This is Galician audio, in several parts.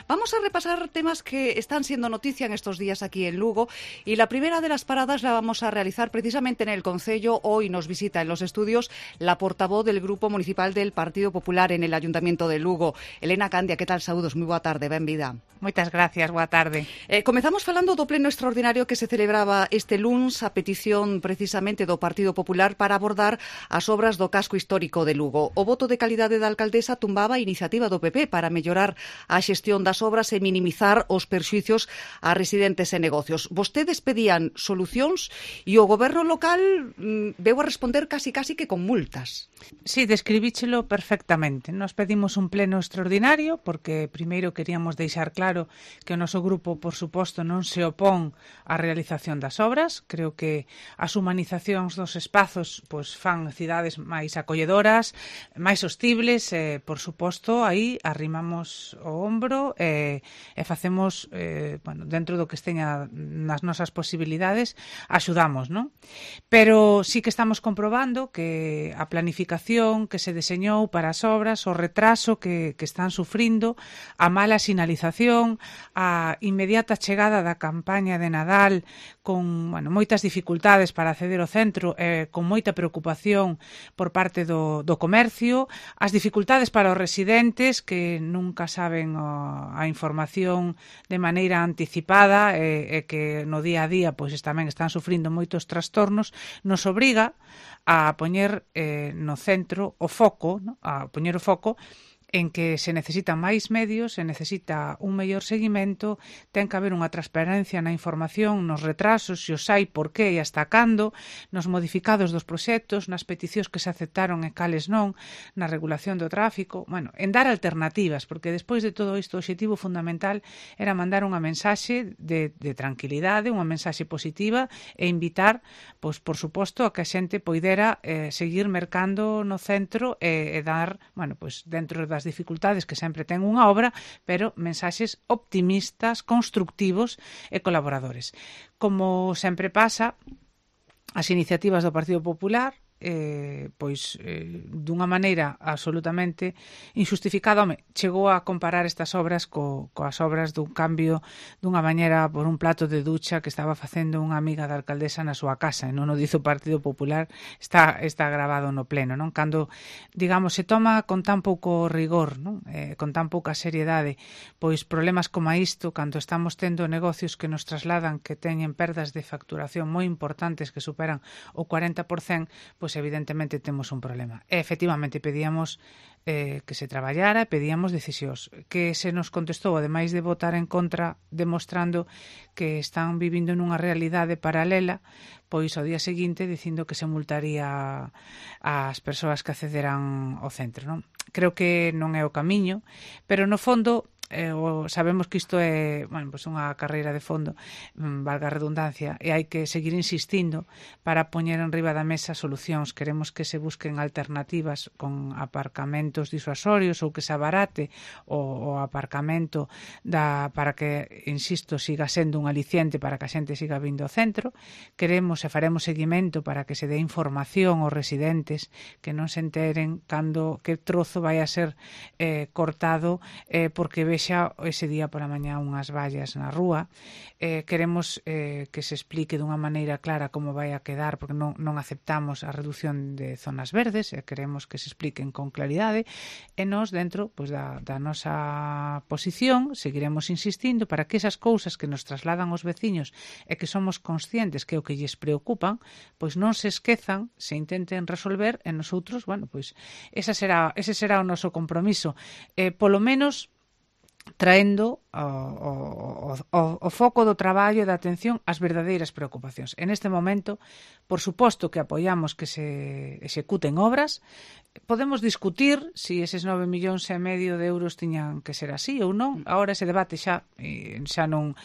Vamos a repasar temas que están siendo noticia en estos días aquí en Lugo y la primera de las paradas la vamos a realizar precisamente en el Concello. Hoy nos visita en los estudios la portavoz del Grupo Municipal del Partido Popular en el Ayuntamiento de Lugo, Elena Candia. Que tal? Saúdos, moi boa tarde, benvida. Moitas gracias, boa tarde. Comezamos falando do pleno extraordinario que se celebraba este luns a petición precisamente do Partido Popular para abordar as obras do casco histórico de Lugo. O voto de calidade da alcaldesa tumbaba a iniciativa do PP para mellorar a xestión das obras e minimizar os perxuicios a residentes e negocios. Vostedes pedían solucións e o goberno local veu a responder casi que con multas. Sí, describíchelo perfectamente. Nos pedimos un pleno extraordinario porque primeiro queríamos deixar claro que o noso grupo, por suposto, non se opón á realización das obras. Creo que as humanizacións dos espazos pois fan cidades máis acolledoras, máis hostibles, por suposto, aí arrimamos o ombro e facemos, dentro do que esteña nas nosas posibilidades, axudamos, non? Pero sí que estamos comprobando que a planificación que se deseñou para as obras, o retraso que están sufrindo, a mala sinalización, a inmediata chegada da campaña de Nadal con moitas dificultades para acceder ao centro, con moita preocupación por parte do comercio, as dificultades para os residentes que nunca saben a información de maneira anticipada e que no día a día pois tamén están sufrindo moitos trastornos, nos obriga a poñer no centro o foco, ¿no? A poñer o foco en que se necesitan máis medios, se necesita un mellor seguimento, ten que haber unha transparencia na información, nos retrasos, se os hai, por qué e hasta cando, nos modificados dos proxectos, nas peticións que se aceptaron e cales non, na regulación do tráfico, en dar alternativas, porque despois de todo isto o obxectivo fundamental era mandar unha mensaxe de tranquilidade, unha mensaxe positiva e invitar, pois por suposto, a que a xente poidera seguir mercando no centro e dar, dentro das dificultades que sempre ten unha obra, pero mensaxes optimistas, constructivos e colaboradores. Como sempre pasa, as iniciativas do Partido Popular dunha maneira absolutamente injustificada, chegou a comparar estas obras coas obras dun cambio dunha bañera por un plato de ducha que estaba facendo unha amiga da alcaldesa na súa casa, e non o dice o Partido Popular, está grabado no pleno, non? Cando, digamos, se toma con tan pouco rigor, non? Con tan pouca seriedade, pois problemas como isto, cando estamos tendo negocios que nos trasladan que teñen perdas de facturación moi importantes que superan o 40%, pois evidentemente temos un problema. E efectivamente pedíamos que se traballara, pedíamos decisións. Que se nos contestou, ademais de votar en contra, demostrando que están vivindo nunha realidade paralela, pois ao día seguinte dicindo que se multaría as persoas que accederán ao centro, non? Creo que non é o camiño, pero no fondo sabemos que isto é unha carreira de fondo, valga a redundancia, e hai que seguir insistindo para poñer en riba da mesa solucións. Queremos que se busquen alternativas con aparcamentos disuasorios ou que se abarate o aparcamento para que, insisto, siga sendo un aliciente para que a xente siga vindo ao centro. Queremos e faremos seguimento para que se dé información aos residentes que non se enteren cando que trozo vai a ser cortado porque vexa ese día pola mañá unhas vallas na rúa. Queremos que se explique dunha maneira clara como vai a quedar, porque non aceptamos a reducción de zonas verdes, e queremos que se expliquen con claridade, e nós dentro da nosa posición seguiremos insistindo para que esas cousas que nos trasladan os veciños e que somos conscientes que é o que lles preocupan, pois non se esquezan, se intenten resolver, e nosotros, ese será o noso compromiso, polo menos traendo o foco do traballo e da atención ás verdadeiras preocupacións. En este momento, por suposto que apoiamos que se executen obras. Podemos discutir se eses 9,5 millóns de euros tiñan que ser así ou non. Agora ese debate xa non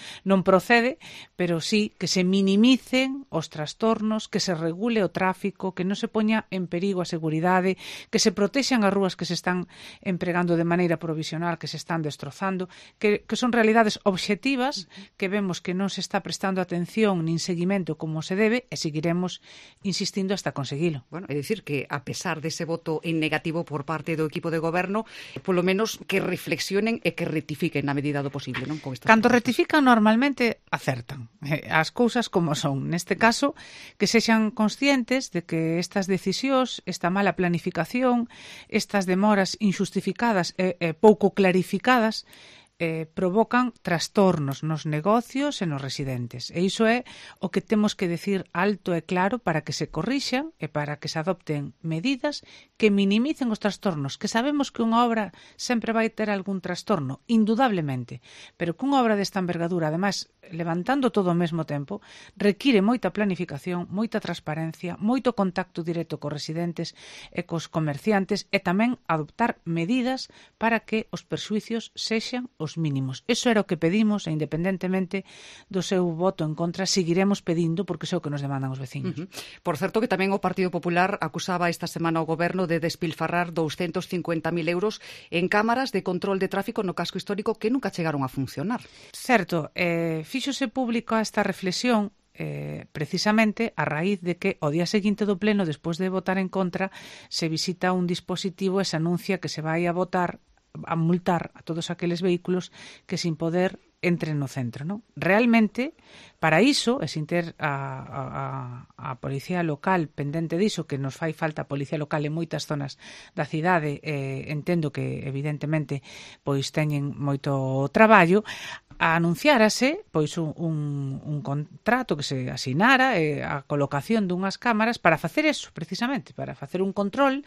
procede, pero sí que se minimicen os trastornos, que se regule o tráfico, que non se poña en perigo a seguridade, que se protexan as rúas que se están empregando de maneira provisional, que se están destrozando, que os son realidades obxectivas que vemos que non se está prestando atención nin seguimento como se debe e seguiremos insistindo hasta conseguilo. Bueno, é dicir que a pesar dese voto en negativo por parte do equipo de goberno, polo menos que reflexionen e que rectifiquen na medida do posible, non? Con estas Cando propostas. rectifican normalmente acertan as cousas como son. Neste caso, que sexan conscientes de que estas decisións, esta mala planificación, estas demoras injustificadas e pouco clarificadas provocan trastornos nos negocios e nos residentes. E iso é o que temos que decir alto e claro para que se corrixan e para que se adopten medidas que minimicen os trastornos, que sabemos que unha obra sempre vai ter algún trastorno, indudablemente, pero que unha obra desta envergadura, ademais, levantando todo ao mesmo tempo, require moita planificación, moita transparencia, moito contacto directo cos residentes e cos comerciantes e tamén adoptar medidas para que os perxuicios sexan os mínimos. Eso era o que pedimos e independentemente do seu voto en contra, seguiremos pedindo porque iso é o que nos demandan os veciños. Por certo que tamén o Partido Popular acusaba esta semana ao goberno de despilfarrar 250.000 euros en cámaras de control de tráfico no casco histórico que nunca chegaron a funcionar. Certo, fíxose público esta reflexión precisamente a raíz de que o día seguinte do pleno, despois de votar en contra, se visita un dispositivo e se anuncia que se vai a votar a multar a todos aqueles vehículos que sin poder entren no centro, non? Realmente, para iso, e sin ter a policía local pendente diso, que nos fai falta a policía local en moitas zonas da cidade, entendo que, evidentemente, pois teñen moito traballo, anunciárase pois un contrato que se asinara a colocación dunhas cámaras para facer eso, precisamente, para facer un control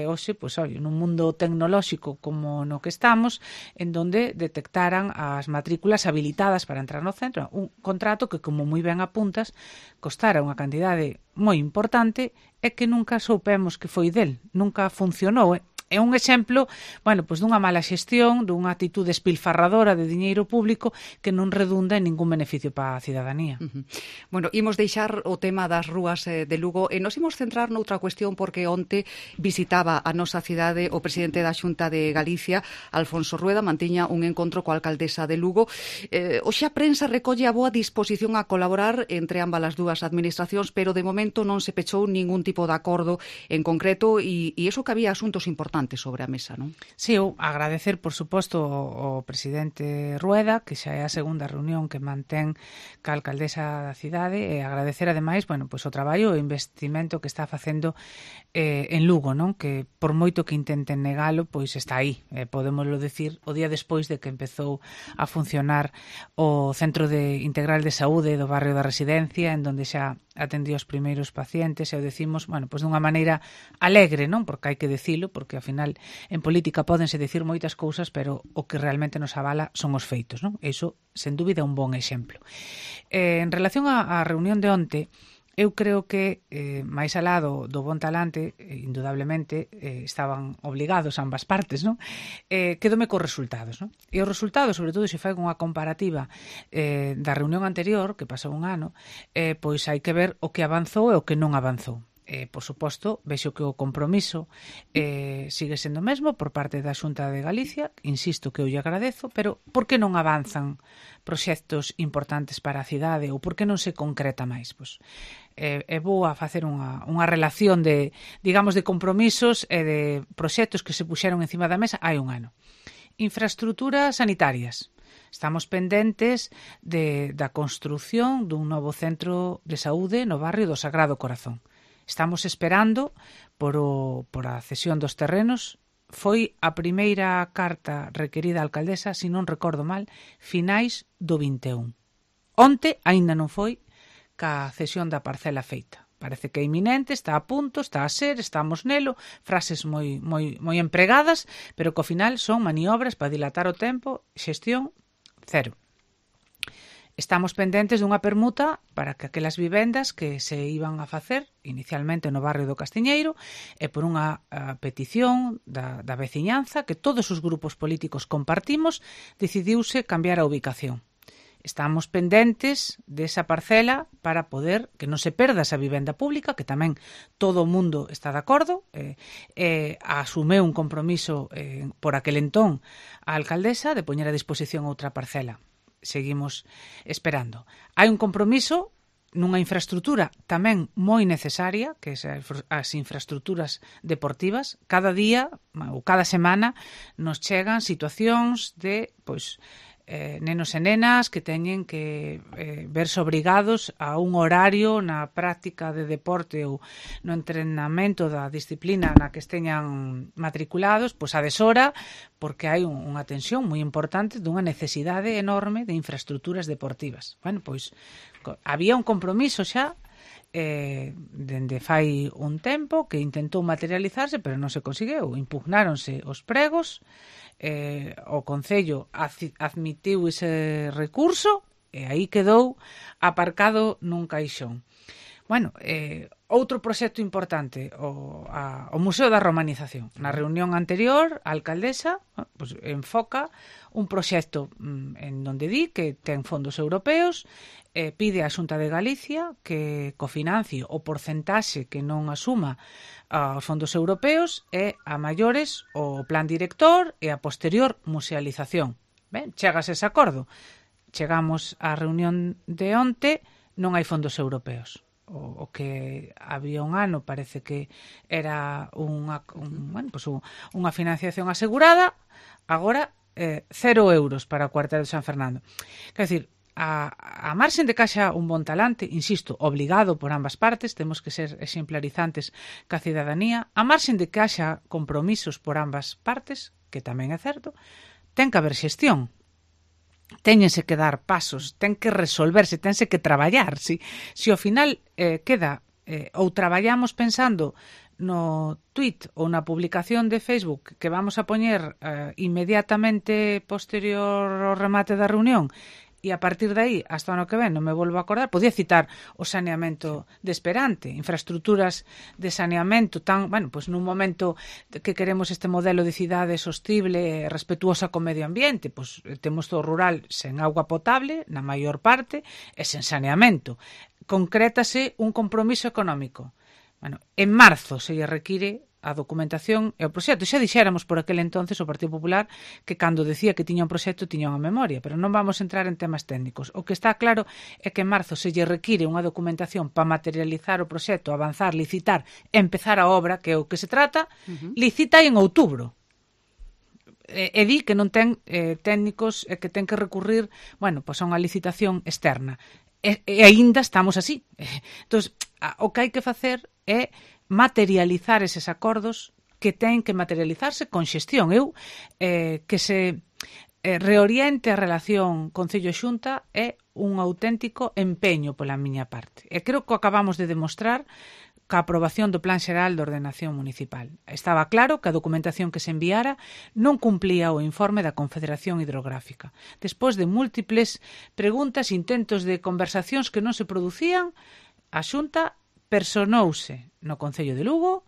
hoxe, pois, nun mundo tecnolóxico como no que estamos, en donde detectaran as matrículas habilitadas para entrar no centro, un contrato que, como moi ben apuntas, costara unha cantidade moi importante e que nunca soupemos que foi del, nunca funcionou, É un exemplo, bueno, pois dunha mala xestión, dunha actitude espilfarradora de diñeiro público que non redunda en ningún beneficio para a cidadanía. Bueno, imos deixar o tema das rúas de Lugo e nos imos centrar noutra cuestión porque onte visitaba a nosa cidade o presidente da Xunta de Galicia, Alfonso Rueda, mantiña un encontro coa alcaldesa de Lugo. Hoxe a prensa recolle a boa disposición a colaborar entre ambas as dúas administracións, pero de momento non se pechou ningún tipo de acordo en concreto e iso que había asuntos importantes sobre a mesa, non? Sí, eu agradecer, por suposto, ao presidente Rueda, que xa é a segunda reunión que mantén ca alcaldesa da cidade, e agradecer, ademais, bueno, pois o traballo e o investimento que está facendo en Lugo, non? Que por moito que intenten negalo, pois está aí. Podémoslo decir o día despois de que empezou a funcionar o Centro Integral de Saúde do barrio da Residencia, en donde xa atendía os primeiros pacientes, e o decimos, bueno, pois dunha maneira alegre, non? Porque hai que dicilo, porque ao final en política pódense dicir moitas cousas, pero o que realmente nos avala son os feitos, non? Iso, sen dúbida, é un bon exemplo. En relación á reunión de onte, eu creo que, máis alá do bon talante, indudablemente, estaban obligados ambas partes, non? Quedome cos resultados, non? E os resultados, sobre todo, se fai unha comparativa da reunión anterior, que pasou un ano, pois hai que ver o que avanzou e o que non avanzou. Por suposto, vexo que o compromiso sigue sendo o mesmo por parte da Xunta de Galicia, insisto que eu lle agradezo, pero por que non avanzan proxectos importantes para a cidade ou por que non se concreta máis? Pois, vou a facer unha relación de, digamos, de compromisos e de proxectos que se puxeron encima da mesa hai un ano. Infraestructuras sanitarias. Estamos pendentes da construción dun novo centro de saúde no barrio do Sagrado Corazón. Estamos esperando por a cesión dos terrenos. Foi a primeira carta requerida á alcaldesa, se non recordo mal, finais do 21. Onte aínda non foi ca cesión da parcela feita. Parece que é inminente, está a punto, está a ser, estamos nelo, frases moi empregadas, pero que ao final son maniobras para dilatar o tempo, xestión cero. Estamos pendentes dunha permuta para que aquelas vivendas que se iban a facer inicialmente no barrio do Castiñeiro e por unha petición da veciñanza que todos os grupos políticos compartimos, decidiuse cambiar a ubicación. estamos pendentes desa parcela para poder que non se perda esa vivenda pública, que tamén todo o mundo está de acordo. Asumeu un compromiso por aquel entón a alcaldesa de poñer a disposición outra parcela. Seguimos esperando. Hai un compromiso nunha infraestructura tamén moi necesaria, que é as infraestructuras deportivas. Cada día ou cada semana nos chegan situacións de nenos e nenas que teñen que verse obrigados a un horario na práctica de deporte ou no entrenamento da disciplina na que esteñan matriculados, a deshora, porque hai unha tensión moi importante dunha necesidade enorme de infraestructuras deportivas. Había un compromiso xa dende fai un tempo que intentou materializarse, pero non se conseguiu. Impugnáronse os pregos, o Concello admitiu ese recurso e aí quedou aparcado nun caixón. Outro proxecto importante, o Museo da Romanización. Na reunión anterior, a alcaldesa enfoca un proxecto en donde di que ten fondos europeos, pide á Xunta de Galicia que cofinancie o porcentaxe que non asuma aos fondos europeos e a maiores o plan director e a posterior musealización. Chegas ese acordo. Chegamos á reunión de onte, non hai fondos europeos. O que había un ano parece que era unha financiación asegurada, agora 0 euros para o cuartel de San Fernando. Quer dizer, a marxen de que haxa un bon talante, insisto, obligado por ambas partes, temos que ser exemplarizantes ca cidadanía, a marxen de que haxa compromisos por ambas partes, que tamén é certo, ten que haber xestión. Téñense que dar pasos, ten que resolverse, tense que traballar. Si ao final queda ou traballamos pensando no tweet ou na publicación de Facebook que vamos a poñer inmediatamente posterior ao remate da reunión, e a partir de aí, hasta o ano que ven, non me volvo a acordar, podía citar o saneamento de Esperante, infraestructuras de saneamento nun momento que queremos este modelo de cidade sostible, respetuosa co medio ambiente, temos todo rural sen auga potable, na maior parte, e sen saneamento. Concrétase un compromiso económico. En marzo se lle require a documentación e o proxecto. Xa dixéramos por aquel entonces o Partido Popular que cando decía que tiña un proxecto tiña unha memoria, pero non vamos a entrar en temas técnicos. O que está claro é que en marzo se lle require unha documentación para materializar o proxecto, avanzar, licitar, empezar a obra, que é o que se trata, licita en outubro. E di que non ten técnicos e que ten que recurrir a unha licitación externa. E aínda estamos así. Entón, o que hai que facer é materializar eses acordos que ten que materializarse con xestión. Que se reoriente a relación Concello-Xunta é un auténtico empeño pola miña parte. E creo que acabamos de demostrar ca aprobación do Plan Xeral de Ordenación Municipal. Estaba claro que a documentación que se enviara non cumplía o informe da Confederación Hidrográfica. Despois de múltiples preguntas, intentos de conversacións que non se producían, a Xunta personouse no Concello de Lugo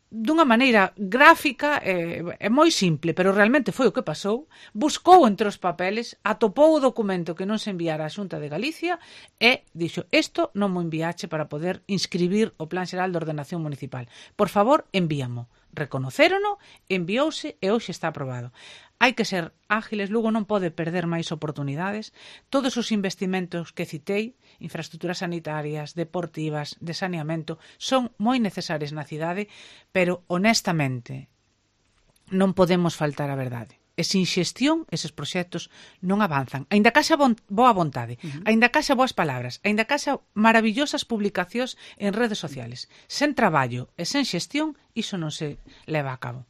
dunha maneira gráfica e moi simple, pero realmente foi o que pasou. Buscou entre os papeles, atopou o documento que non se enviara á Xunta de Galicia e dixo, isto non mo enviache para poder inscribir o Plan Xeral de Ordenación Municipal. Por favor, envíamo. Reconocérono, enviouse e hoxe está aprobado. Hai que ser ágiles, Lugo non pode perder máis oportunidades. Todos os investimentos que citei, infraestructuras sanitarias, deportivas, de saneamento, son moi necesarias na cidade, pero honestamente non podemos faltar a verdade. E sin xestión, eses proxectos non avanzan. Aínda que haxa boa vontade, aínda que haxa boas palabras, aínda que haxa maravillosas publicacións en redes sociales. Sen traballo e sen xestión, iso non se leva a cabo.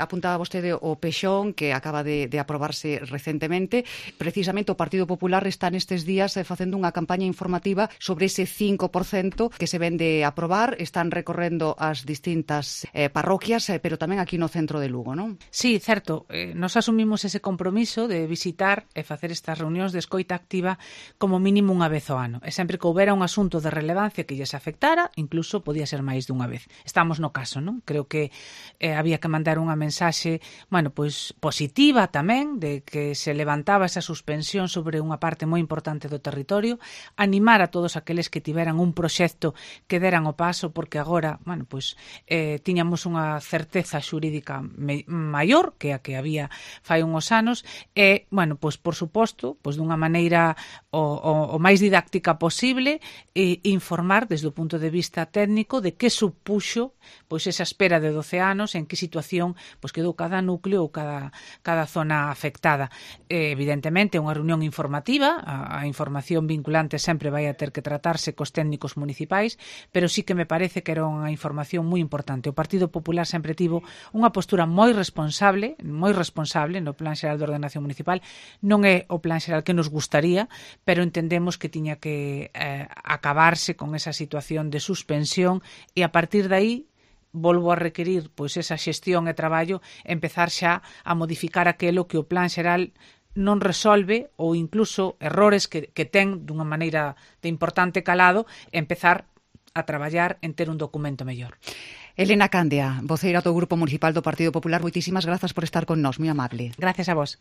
Apuntaba vostede o Pexón, que acaba de aprobarse recentemente. Precisamente o Partido Popular está nestes días facendo unha campaña informativa sobre ese 5% que se ven de aprobar. Están recorrendo as distintas parroquias, pero tamén aquí no centro de Lugo, non? Sí, certo. Nos asumimos ese compromiso de visitar e facer estas reunións de escoita activa como mínimo unha vez ao ano. E sempre que houbera un asunto de relevancia que lles afectara, incluso podía ser máis dunha vez. Estamos no caso, non? creo que había que mandar unha mensaxe, bueno, pois positiva tamén, de que se levantaba esa suspensión sobre unha parte moi importante do territorio, animar a todos aqueles que tiveran un proxecto que deran o paso, porque agora, bueno, pois tiñamos unha certeza xurídica maior que a que había fai unhos anos, e, bueno, pois por suposto, pois dunha maneira o máis didáctica posible, informar desde o punto de vista técnico de que supuxo pois esa espera de 12 anos, en que situación pois quedou cada núcleo ou cada zona afectada. Evidentemente, unha reunión informativa, a información vinculante sempre vai a ter que tratarse cos técnicos municipais, pero sí que me parece que era unha información moi importante. O Partido Popular sempre tivo unha postura moi responsable no Plan Xeral de Ordenación Municipal. Non é o plan xeral que nos gustaría, pero entendemos que tiña que acabarse con esa situación de suspensión e a partir de aí volvo a requerir pois esa xestión e traballo, empezar xa a modificar aquelo que o plan xeral non resolve ou incluso errores que ten dunha maneira de importante calado, empezar a traballar en ter un documento mellor. Elena Candia, voceira do Grupo Municipal do Partido Popular, moitísimas grazas por estar con nós, moi amable. Gracias a vos.